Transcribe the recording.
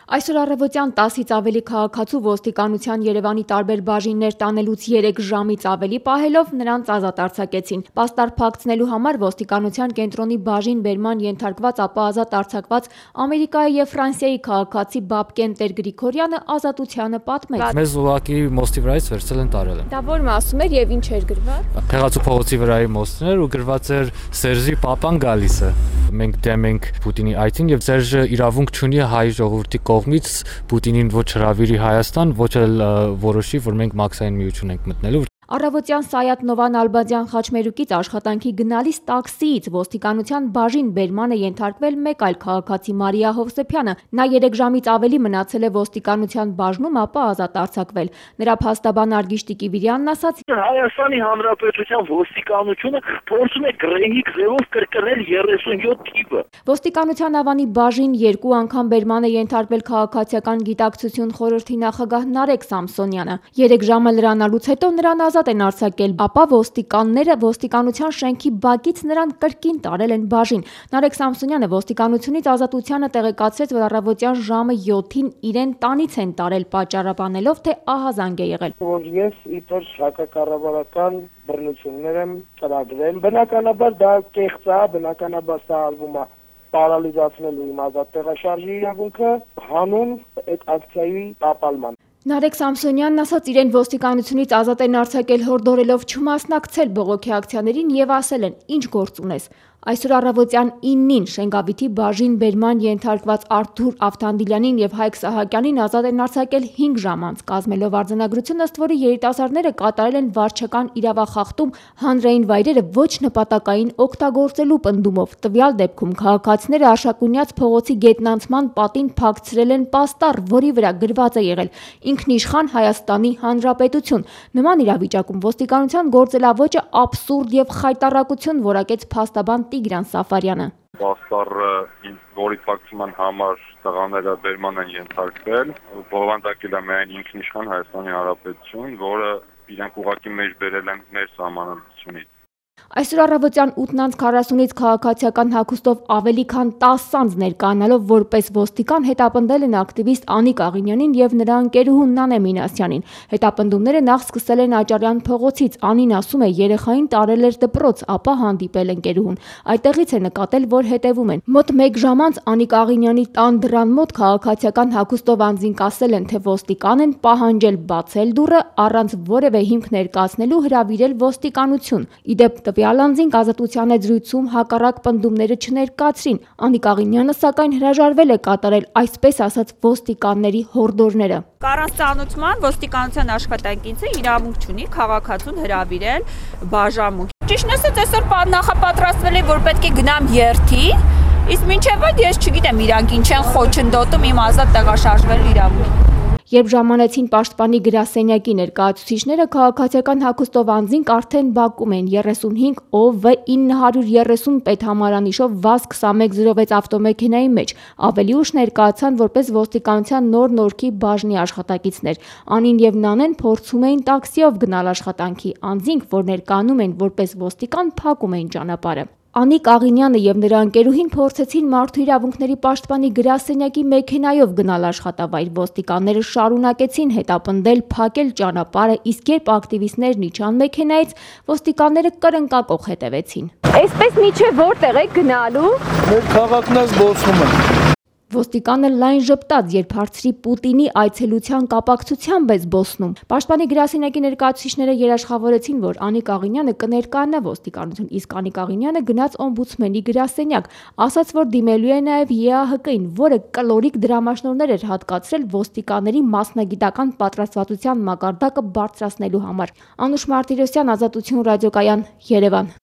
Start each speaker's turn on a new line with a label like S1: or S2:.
S1: Այսօր առավոտյան 10-ից ավելի քաղաքացու ոստիկանության Երևանի տարբեր բաժիններ տանելուց 3 ժամից ավելի պահելով նրանց ազատ արձակեցին։ Պաստառ փակցնելու համար ոստիկանության կենտրոնի բաժին բերման ենթարկված, ապա ազատ արձակված Ամերիկայի եւ Ֆրանսիայի քաղաքացի Բաբկեն Տեր-Գրիգորյանը ազատությանը պատմեց.
S2: Մեզ ուղղակի մոստի վրայից վերցել են տարել են։
S1: Դա որ մասում էր եւ ինչ էր գրված։
S2: Խեղացու փողոցի վրայի մոստն էր ու գրված էր Սերժի Պապան գալիս է։ Մենք դեմ ենք Պուտինի այցին եւ Սերժը իրավունք չունի հայ ժողովրդի կողմից Պուտինին ոչ հրավիրի Հայաստան, ոչ էլ որոշի, որ մենք մաքսային միություն ենք մտնելու։
S1: Առավոտյան Սայաթ Նովան Ալբադյան խաչմերուկից աշխատանքի գնալիս տաքսիից ոստիկանության բաժին բերմանը ենթարկվել մեկ այլ քաղաքացի Մարիա Հովսեփյանը։ Նա 3 ժամից ավելի մնացել է ոստիկանության բաժնում, ապա ազատ արձակվել։ Նրա փաստաբան Արգիշ Տիկիվիրյանն ասաց.
S3: Հայաստանի Հանրապետության ոստիկանությունը փորձում է գրեհիկ ձևով կրկնել 37 թիվը։
S1: Ոստիկանության ավանի բաժին 2 անգամ բերման է ենթարկվել քաղաքացիական գիտակցություն խորհրդի նախագահ Նարեկ Սամսոնյանը։ 3 ժամը լրանալուց հետո նրան ազատ են արձակել, ապա ոստիկանները ոստիկանության շենքի բակից նրան կրկին տարել են բաժին։ Նարեկ Սամսոնյանը ոստիկանությունից ազատությանը տեղեկացրեց, որ առավոտյան ժամը 7-ին իրեն տանից են տարել, պատճառաբանելով, թե ահազանգ է եղել։
S4: Որ ես իբր հակակառավարական բռնություններ եմ ծրագրել։ Բնականաբար դա կեղծ է, բնականաբար սա արվում է պարալիզացնելու իմ ազատ տեղաշարժի իրավունքը հանուն այդ ակցիայի տապալման։
S1: Նարեկ Սամսոնյանն ասաց, իրեն ոստիկանությունից ազատ են արձակել հորդորելով չմասնակցել բողոքի ակցիաներին եւ ասել են, ինչ գործ ունես։ Այսօր առավոտյան 9-ին Շենգավիթի բաժին բերման ենթարկված Արթուր Ավթանդիլյանին եւ Հայկ Սահակյանին ազատ են արձակել 5 ժամ անց, կազմելով արձանագրություն, ըստ որի երիտասարդները կատարել են վարչական իրավախախտում հանրային վայրերը ոչ նպատակային օգտագործելու պնդումով։ Տվյալ դեպքում քաղաքացիները Արշակունյաց փողոցի գետնանցման պատին փակցրել են պաստառ, որի վրա գրված է եղել «Ինքնիշխան Հայաստանի Հանրապետություն»։ Նման իրավիճակում ոստիկանության գործելավոճը աբսուրդ եւ խայտառակություն որակեց փաստաբան Տիգրան Սաֆարյանը։
S5: Պաստառը, որի փակցման համար տղաները բերման են ենթարկվել, բովանդակել է միայն ինքնիշխան Հայաստանի Հանրապետություն, որը իրենք ուղղակի մեջ բերել են մեր սահմանադրությունից։
S1: Այսօր առավոտյան 8:40-ից քաղաքացիական հագուստով ավելի քան 10 անձ ներկայանալով որպես ոստիկան հետապնդել են ակտիվիստ Անիկ Աղինյանին եւ նրա ընկերուհուն Նանե Մինասյանին։ Հետապնդումները նախ սկսել են Աճարյան փողոցից։ Անին ասում է, երեխային տարել էր դպրոց, ապա հանդիպել ընկերուհուն։ Այդտեղից է նկատել, որ հետևում են։ Մոտ 1 ժամ անց Անիկ Աղինյանի տան դռան մոտ քաղաքացիական հագուստով անձինք ասել են, թե ոստիկան են, պահանջել բացել դուռը, առանց որևէ հիմք ներկայացնելու հրավիրել ոստիկանություն։ Իդեպ տվյալ անձինք ազատության զրույցում հակառակ պնդումները չներկայացրին։ Անիկ Աղինյանը սակայն հրաժարվել է կատարել այսպես ասած ոստիկանների հորդորները։
S6: Առանց ծանոթման ոստիկանության աշխատակիցը իրավունք չունի քաղաքացուն հրավիրել բաժանմունք։ Ճիշտն ասած, այսօր նախապատրաստվել է, որ պետք է գնամ երթի, իսկ մինչև այդ ես չգիտեմ իրանք ինչ են խոչընդոտում իմ ազատ տեղաշարժվելու իրավունք։
S1: Երբ ժամանեցին պաշտպանի գրասենյակի ներկայացուցիչները, քաղաքացիական հագուստով անձինք արդեն բակում են 35 OV 930 պետհամարանիշով ՎԱԶ 2106 ավտոմեքենայի մեջ։ Ավելի ուշ ներկայացան որպես ոստիկանության նոր Նորքի բաժնի աշխատակիցներ։ Անին եւ Նանեն փորձում էին տաքսիով գնալ աշխատանքի։ Անձինք, որ ներկայանում են որպես ոստիկան, փակում էին ճանապարհը։ Անիկ Աղինյանը եւ նրա ընկերուհին փորձեցին մարդու իրավունքների պաշտպանի գրասենյակի մեքենայով գնալ աշխատավայր։ Ոստիկանները շարունակեցին հետապնդել, փակել ճանապարհը, իսկ երբ ակտիվիստներն իջան մեքենայից, ոստիկանները կրնկակող հետևեցին։ Այսպես միջև որտեղ եք գնալու։
S4: Մեր քաղաքն է զբոսնում է։
S1: Ոստիկանը լայն ժպտաց, երբ հարցրի Պուտինի այցելության կապակցությամբ է զբոսնում։ Պաշտպանի գրասենյակի ներկայացուցիչները երաշխավորեցին, որ Անիկ Աղինյանը կներկայանա ոստիկանություն, իսկ Անիկ Աղինյանը գնաց օմբուդսմենի գրասենյակ, ասաց, որ դիմելու է նաև ԵԱՀԿ-ին, որը կլորիկ դրամաշնորհներ էր հատկացրել ոստիկանների մասնագիտական պատրաստվածության մակարդակը բարձրացնելու համար։ Անուշ Մարտիրոսյան, Ազատություն ռադիոկայան, Երևան։